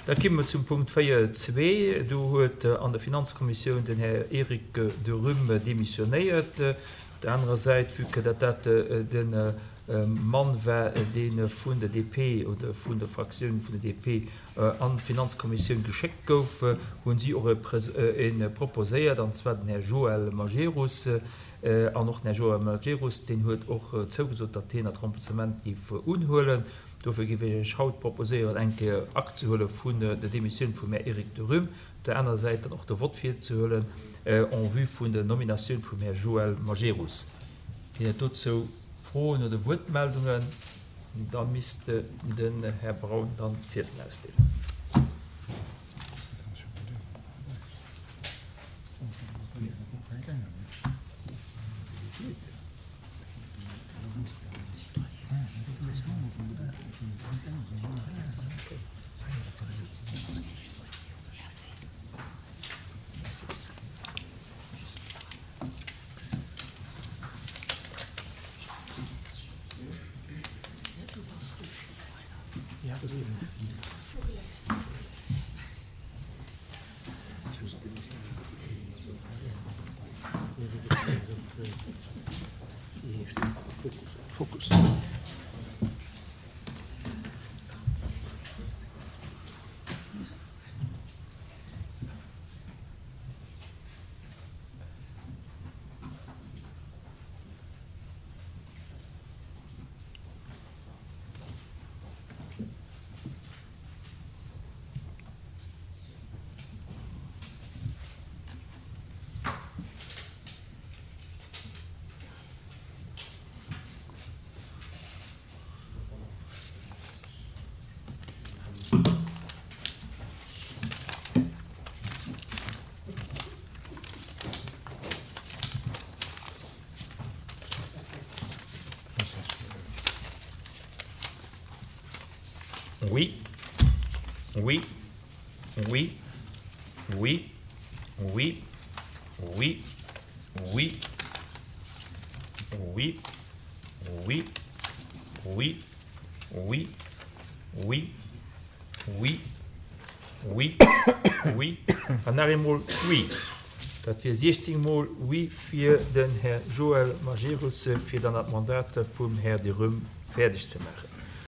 Da komme mer zum Punkt 4.2. Do huet an der Finanzkommissioun den Här Eric Derüm demissionéiert. Op der anerer Säit, vue que datt dat de Mann war, dee vun der DP oder vun der Fraktioun vun der DP an d'Finanzkommissioun geschéckt gouf, hu si och e proposéiert, an zwar den Här Joël Majerus. An och den Här Joël Majerus, deen huet och zougesot, datt hien dat Remplacement géif unhuelen. Dofir géif ech Iech haut proposéieren, eng Kéier Akt ze huele vun der Demissioun vum Här Eric Derüm, op der anerer Säit dann och de Vott virzehuelen en vue vun der Nominatioun vum Här Joël Majerus. Ginn et dozou Froen oder Wuertmeldungen? Da misst den Här Braun dann d'Ziedelen ausdeelen. Oui. Oui. Oui. Oui. Oui. Oui. Oui. Oui. Oui. Oui. Oui. Oui. Oui. Oui. Oui. An nach eemol Oui. Dat wier 16 mol Oui fir den Här Joël Majerus, fir dann dat Mandat vum Här Derüm fäerdeg ze maachen.